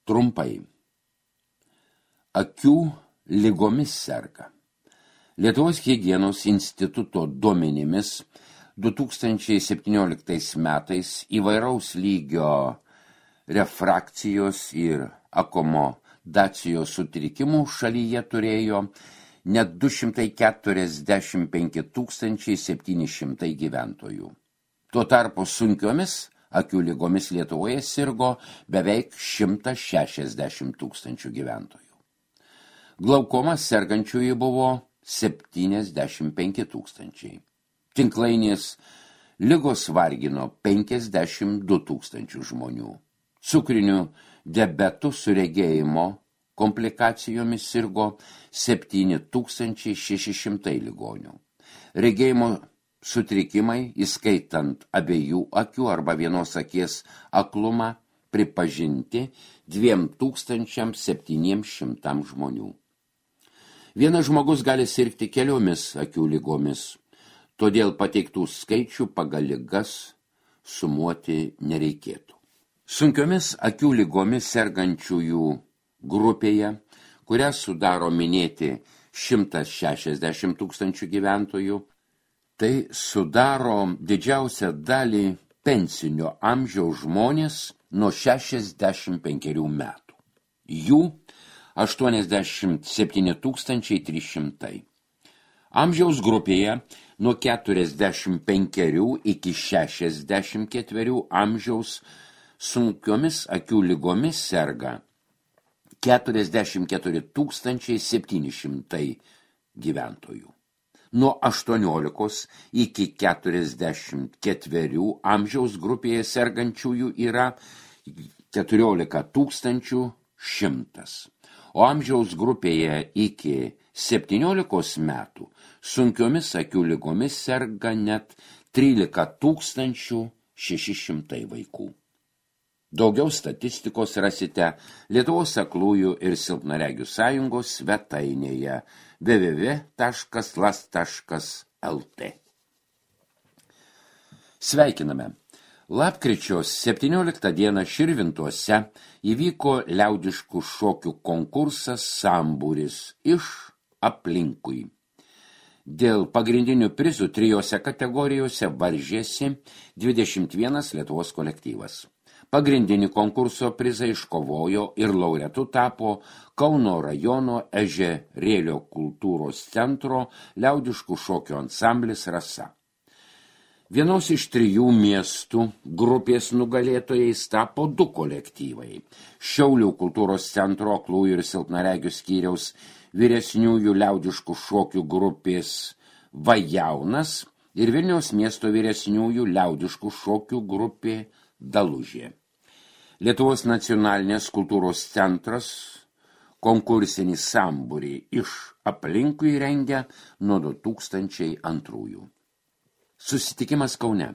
Trumpai. Akių ligomis serga. Lietuvos higienos instituto duomenimis 2017 metais įvairaus lygio refrakcijos ir akomodacijos sutrikimų šalyje turėjo net 245 700 gyventojų. Tuo tarpu sunkiomis akių ligomis Lietuvoje sirgo beveik 160 000 gyventojų. Glaukomas sergančiųjų buvo 75 000. Tinklainės ligos vargino 52 000 žmonių. Cukriniu diabetu su regėjimo komplikacijomis sirgo 7600 ligonių. Regėjimo sutrikimai, įskaitant abiejų akių arba vienos akies aklumą, pripažinti 2700 žmonių. Vienas žmogus gali sirgti keliomis akių ligomis, todėl pateiktų skaičių pagal ligas sumuoti nereikėtų. Sunkiomis akių ligomis sergančiųjų grupėje, kurią sudaro minėti 160 000 gyventojų, tai sudaro didžiausią dalį pensinio amžiaus žmonės nuo 65 metų. Jų 87 300. Amžiaus grupėje nuo 45 iki 64 amžiaus sunkiomis akių ligomis serga 44 700 gyventojų. Nuo 18 iki 44 amžiaus grupėje sergančiųjų yra 14 100, o amžiaus grupėje iki 17 metų sunkiomis akių ligomis serga net 13 600 vaikų. Daugiau statistikos rasite Lietuvos aklųjų ir silpnaregių sąjungos svetainėje www.las.lt. Sveikiname! Lapkričio 17 dieną Širvintuose įvyko liaudiškų šokių konkursas Sambūris iš aplinkui. Dėl pagrindinių prizų 3 kategorijose varžėsi 21 Lietuvos kolektyvas. Pagrindinį konkurso prizą iškovojo ir laureatu tapo Kauno rajono Ežerėlio kultūros centro liaudiškų šokių ansamblis Rasa. Vienos iš 3 miestų grupės nugalėtojais tapo 2 kolektyvai. Šiaulių kultūros centro aklųjų ir silpnaregių skyriaus vyresniųjų liaudiškų šokių grupės Vajaunas ir Vilniaus miesto vyresniųjų liaudiškų šokių grupė Dalužė. Lietuvos nacionalinės kultūros centras konkursinį sambūrį iš aplinkui rengia nuo 2002. Susitikimas Kaune.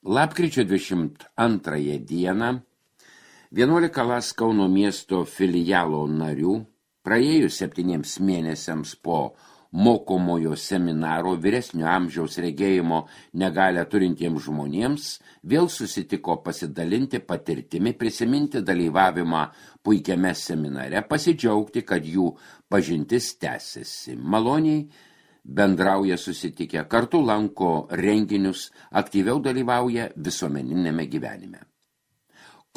Lapkričio 22 dieną 11 Las Kauno miesto filialo narių praėjus 7 mėnesiams po mokomojo seminaro vyresnio amžiaus regėjimo negalią turintiems žmonėms vėl susitiko pasidalinti patirtimi, prisiminti dalyvavimą puikiame seminare, pasidžiaugti, kad jų pažintis tęsiasi. Maloniai bendrauja susitikę, kartu lanko renginius, aktyviau dalyvauja visuomeninėme gyvenime.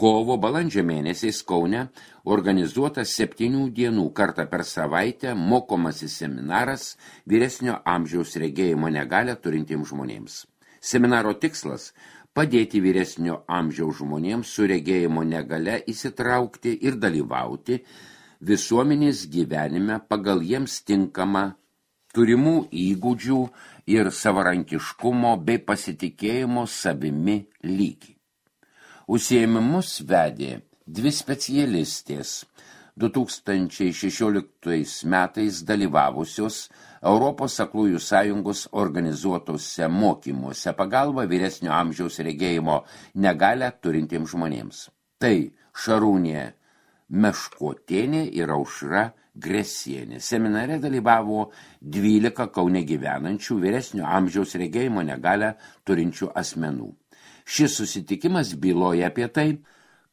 Kovo balandžio mėnesiais Kaune organizuotas 7 dienų kartą per savaitę mokomasis seminaras vyresnio amžiaus regėjimo negalią turintiems žmonėms. Seminaro tikslas – padėti vyresnio amžiaus žmonėms su regėjimo negalia įsitraukti ir dalyvauti visuomenės gyvenime pagal jiems tinkamą turimų įgūdžių ir savarankiškumo bei pasitikėjimo savimi lygį. Užsiėmimus vedė 2 specialistės 2016 metais dalyvavusios Europos aklųjų sąjungos organizuotose mokymuose pagalba vyresnio amžiaus regėjimo negalią turintiems žmonėms. Tai Šarūnė Meškotienė ir Aušra Gresienė. Seminare dalyvavo 12 Kaune gyvenančių vyresnio amžiaus regėjimo negalią turinčių asmenų. Šis susitikimas byloja apie tai,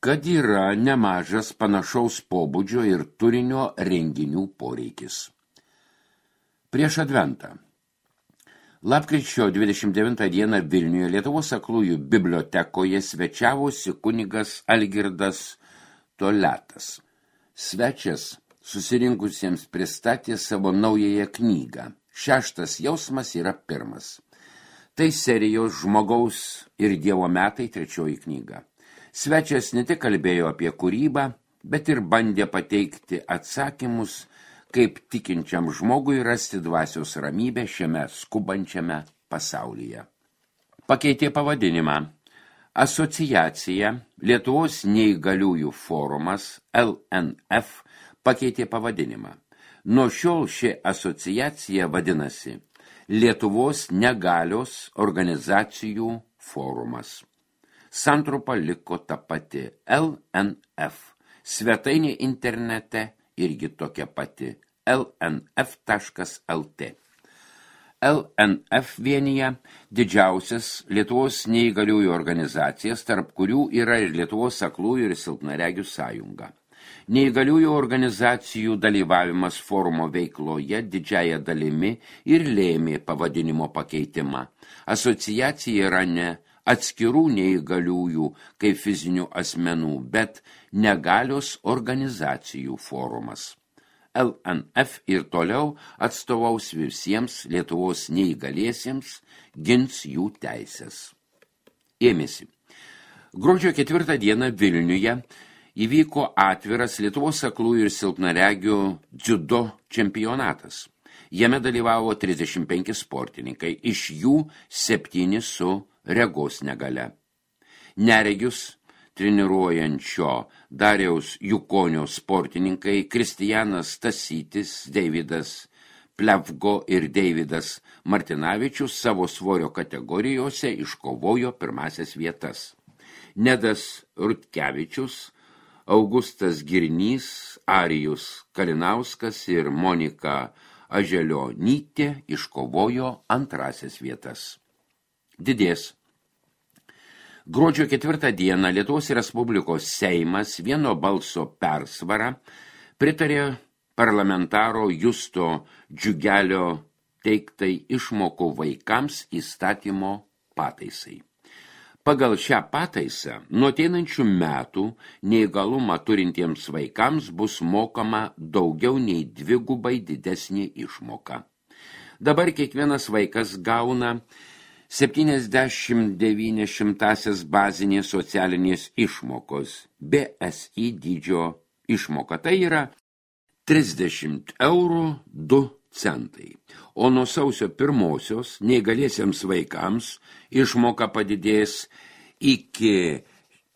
kad yra nemažas panašaus pobūdžio ir turinio renginių poreikis. Prieš Adventą. Lapkričio 29 dieną Vilniuje Lietuvos aklųjų bibliotekoje svečiavosi kunigas Algirdas Toletas. Svečias susirinkusiems pristatė savo naująją knygą. 6 jausmas yra 1. Tai serijos Žmogaus ir Dievo metai 3 knyga. Svečias ne tik kalbėjo apie kūrybą, bet ir bandė pateikti atsakymus, kaip tikinčiam žmogui rasti dvasios ramybę šiame skubančiame pasaulyje. Pakeitė pavadinimą. Asociacija Lietuvos neįgaliųjų forumas LNF pakeitė pavadinimą. Nuo šiol ši asociacija vadinasi Lietuvos negalios organizacijų forumas. Santrumpa liko ta pati LNF. Svetainė internete irgi tokia pati lnf.lt. LNF vienyje didžiausias Lietuvos neįgaliųjų organizacijas, tarp kurių yra ir Lietuvos aklųjų ir silpnaregių sąjunga. Neįgaliųjų organizacijų dalyvavimas forumo veikloje didžiąja dalimi ir lėmė pavadinimo pakeitimą. Asociacija yra ne atskirų neįgaliųjų kaip fizinių asmenų, bet negalios organizacijų forumas. LNF ir toliau atstovaus visiems Lietuvos neįgaliesiems, gins jų teisės. Ėmėsi. Gruodžio 4 dieną Vilniuje įvyko atviras Lietuvos aklųjų ir silpnaregių dziudo čempionatas. Jame dalyvavo 35 sportininkai, iš jų 7 su regos negale. Neregius treniruojančio Dariaus Jukonio sportininkai Kristijanas Stasytis, Deividas Plevgo ir Deividas Martinavičius savo svorio kategorijose iškovojo pirmasias vietas. Nedas Rutkevičius, Augustas Girnys, Arijus Kalinauskas ir Monika Aželionytė iškovojo antrasias vietas. Didės. Gruodžio 4 dieną Lietuvos Respublikos Seimas vieno balso persvarą pritarė parlamentaro Justo Džiugelio teiktai išmokų vaikams įstatymo pataisai. Pagal šią pataisą nuo ateinančių metų neįgalumą turintiems vaikams bus mokama daugiau nei 2 didesnė išmoka. Dabar kiekvienas vaikas gauna 79 bazinės socialinės išmokos, BSI dydžio išmoka. Tai yra 30 eurų 2 centai. O nuo sausio 1 neįgaliesiems vaikams išmoka padidės iki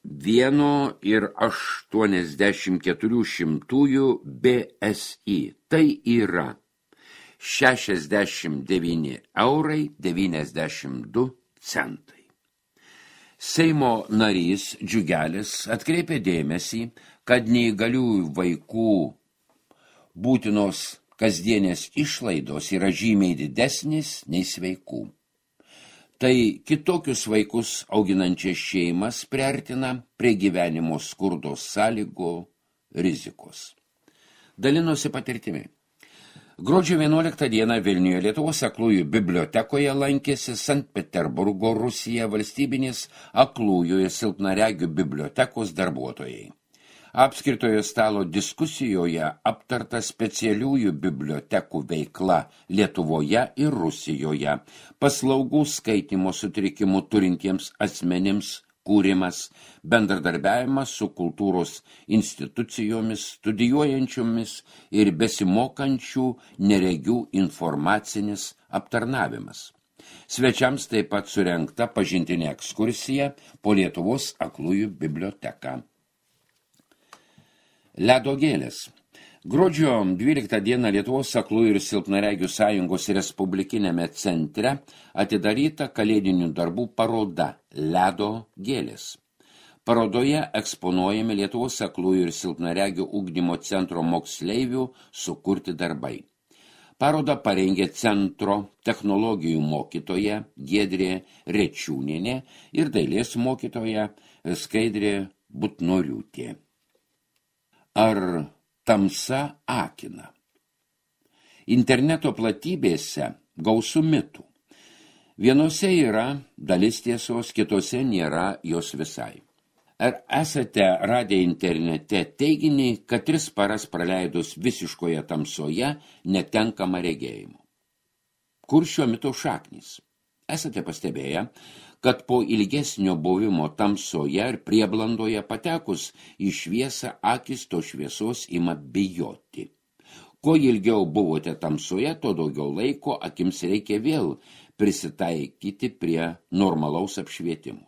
1,84 BSI. Tai yra 69,92 centai. Seimo narys Džiugelis atkreipė dėmesį, kad neįgaliųjų vaikų būtinos kasdienės išlaidos yra žymiai didesnis nei sveikų. Tai kitokius vaikus auginančias šeimas priartina prie gyvenimo skurdos sąlygų rizikos. Dalinosi patirtimi. Gruodžio 11 dieną Vilniuje Lietuvos aklųjų bibliotekoje lankėsi Sankt Peterburgo Rusija valstybinės aklųjų ir silpnaregių bibliotekos darbuotojai. Apskritojo stalo diskusijoje aptarta specialiųjų bibliotekų veikla Lietuvoje ir Rusijoje, paslaugų skaitymo sutrikimų turintiems asmenims kūrimas, bendradarbiavimas su kultūros institucijomis, studijuojančiomis ir besimokančių neregių informacinis aptarnavimas. Svečiams taip pat surengta pažintinė ekskursija po Lietuvos aklųjų biblioteką. Ledo gėlės. Gruodžio 12 dieną Lietuvos aklųjų ir silpnaregių sąjungos Respublikinėme centre atidaryta kalėdinių darbų paroda Ledo gėlės. Parodoje eksponuojami Lietuvos aklųjų ir silpnaregių ugdymo centro moksleivių sukurti darbai. Parodą parengė centro technologijų mokytoja Giedrė Rečiūnienė ir dailės mokytoja Skaidrė Butnoriūtė. Ar tamsa akina? Interneto platybėse gausu mitų. Vienose yra dalis tiesos, kitose nėra jos visai. Ar esate radę internete teiginį, kad 3 paras praleidus visiškoje tamsoje netenkama regėjimo? Kur šio mito šaknys? Esate pastebėję, kad po ilgesnio buvimo tamsoje ir prieblandoje patekus į šviesą akis to šviesos ima bijoti. Kuo ilgiau buvote tamsoje, to daugiau laiko akims reikia vėl prisitaikyti prie normalaus apšvietimo.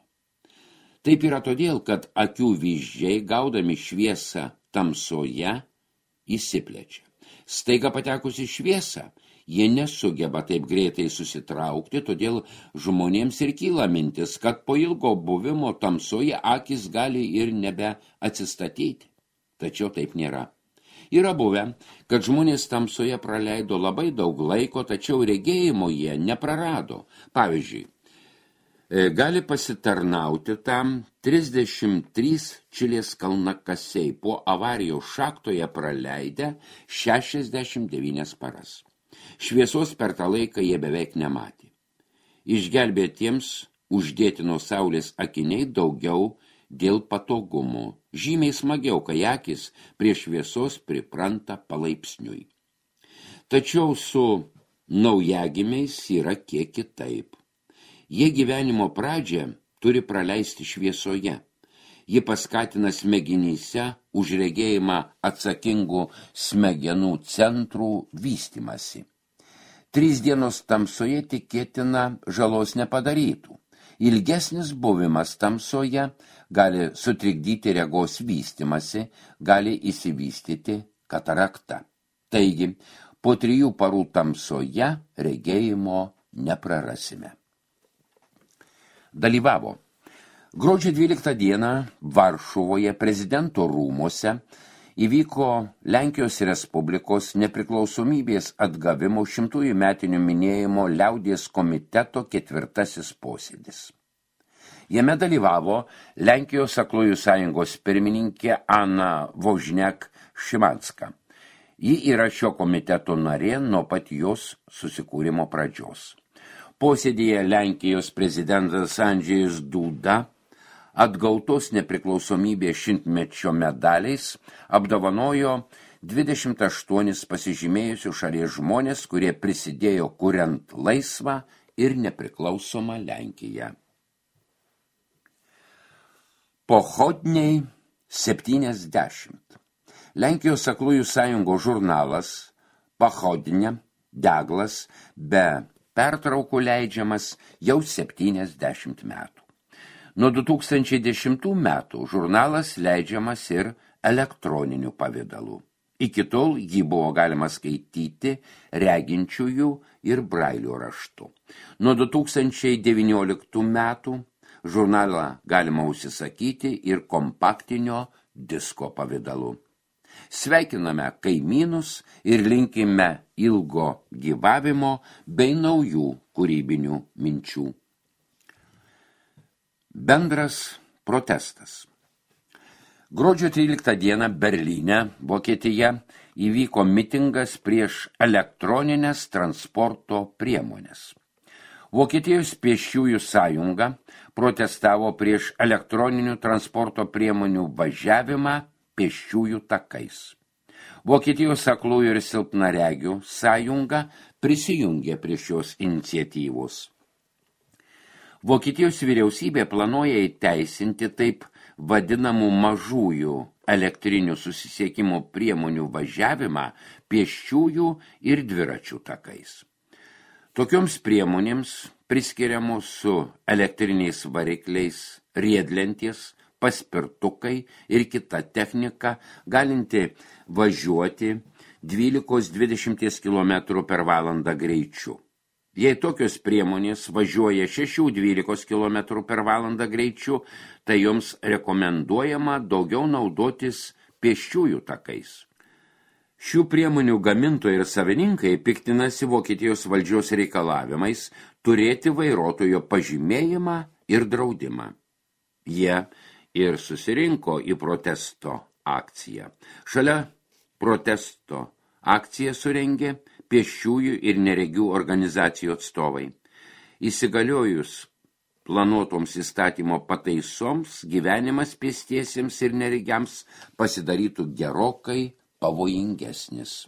Taip yra todėl, kad akių vyzdžiai, gaudami šviesą tamsoje, įsiplečia. Staiga patekus į šviesą, jie nesugeba taip greitai susitraukti, todėl žmonėms ir kyla mintis, kad po ilgo buvimo tamsoje akis gali ir nebe atsistatyti. Tačiau taip nėra. Yra buvę, kad žmonės tamsoje praleido labai daug laiko, tačiau regėjimo jie neprarado. Pavyzdžiui, gali pasitarnauti tam 33 Čilės kalnakasiai po avarijos šachtoje praleidę 69 paras. Šviesos per tą laiką jie beveik nematė. Išgelbėtiems uždėti nuo saulės akiniai daugiau dėl patogumų. Žymiai smagiau, kai akis prie šviesos pripranta palaipsniui. Tačiau su naujagimiais yra kiek kitaip. Jie gyvenimo pradžią turi praleisti šviesoje. Ji paskatina smegenyse už regėjimą atsakingų smegenų centrų vystymasi. 3 dienos tamsoje tikėtina žalos nepadarytų. Ilgesnis buvimas tamsoje gali sutrikdyti regos vystymasi, gali įsivystyti katarakta. Taigi, po 3 parų tamsoje regėjimo neprarasime. Dalyvavo. Gruodžio 12 dieną Varšuvoje prezidento rūmuose įvyko Lenkijos Respublikos nepriklausomybės atgavimo 100-ųjų metinių minėjimo liaudies komiteto 4. posėdis. Jame dalyvavo Lenkijos aklųjų sąjungos pirmininkė Ana Vožniak-Šimanska. Ji yra šio komiteto narė nuo pat jos susikūrimo pradžios. Posėdėje Lenkijos prezidentas Andžejus Duda atgautos nepriklausomybės 100-mečio medaliais apdovanojo 28 pasižymėjusių šalies žmonės, kurie prisidėjo kuriant laisvą ir nepriklausomą Lenkiją. Pochodniai 70. Lenkijos aklųjų sąjungos žurnalas Pochodnia Deglas be pertraukų leidžiamas jau 70 metų. Nuo 2010 metų žurnalas leidžiamas ir elektroniniu pavidalu. Iki tol jį buvo galima skaityti reginčiųjų ir brailio raštu. Nuo 2019 metų žurnalą galima užsisakyti ir kompaktinio disko pavidalu. Sveikiname kaimynus ir linkime ilgo gyvavimo bei naujų kūrybinių minčių. Bendras protestas. Gruodžio 13 dieną Berlyne, Vokietija, įvyko mitingas prieš elektroninės transporto priemonės. Vokietijos pėsčiųjų sąjunga protestavo prieš elektroninių transporto priemonių važiavimą pėsčiųjų takais. Vokietijos aklųjų ir silpnaregių sąjunga prisijungė prie šios iniciatyvos. Vokietijos vyriausybė planuoja įteisinti taip vadinamų mažųjų elektrinių susisiekimo priemonių važiavimą pėsčiųjų ir dviračių takais. Tokioms priemonėms priskiriamos su elektriniais varikliais riedlentės, paspirtukai ir kita technika, galinti važiuoti 12-20 km per valandą greičiu. Jei tokios priemonės važiuoja 6-12 km per valandą greičiu, tai joms rekomenduojama daugiau naudotis pėsčiųjų takais. Šių priemonių gamintojai ir savininkai piktinasi Vokietijos valdžios reikalavimais turėti vairuotojo pažymėjimą ir draudimą. Jie ir susirinko į protesto akciją. Šalia protesto akciją surengė pėsčiųjų ir neregių organizacijų atstovai. Įsigaliojus planuotoms įstatymo pataisoms, gyvenimas pėstiesiems ir neregiams pasidarytų gerokai pavojingesnis.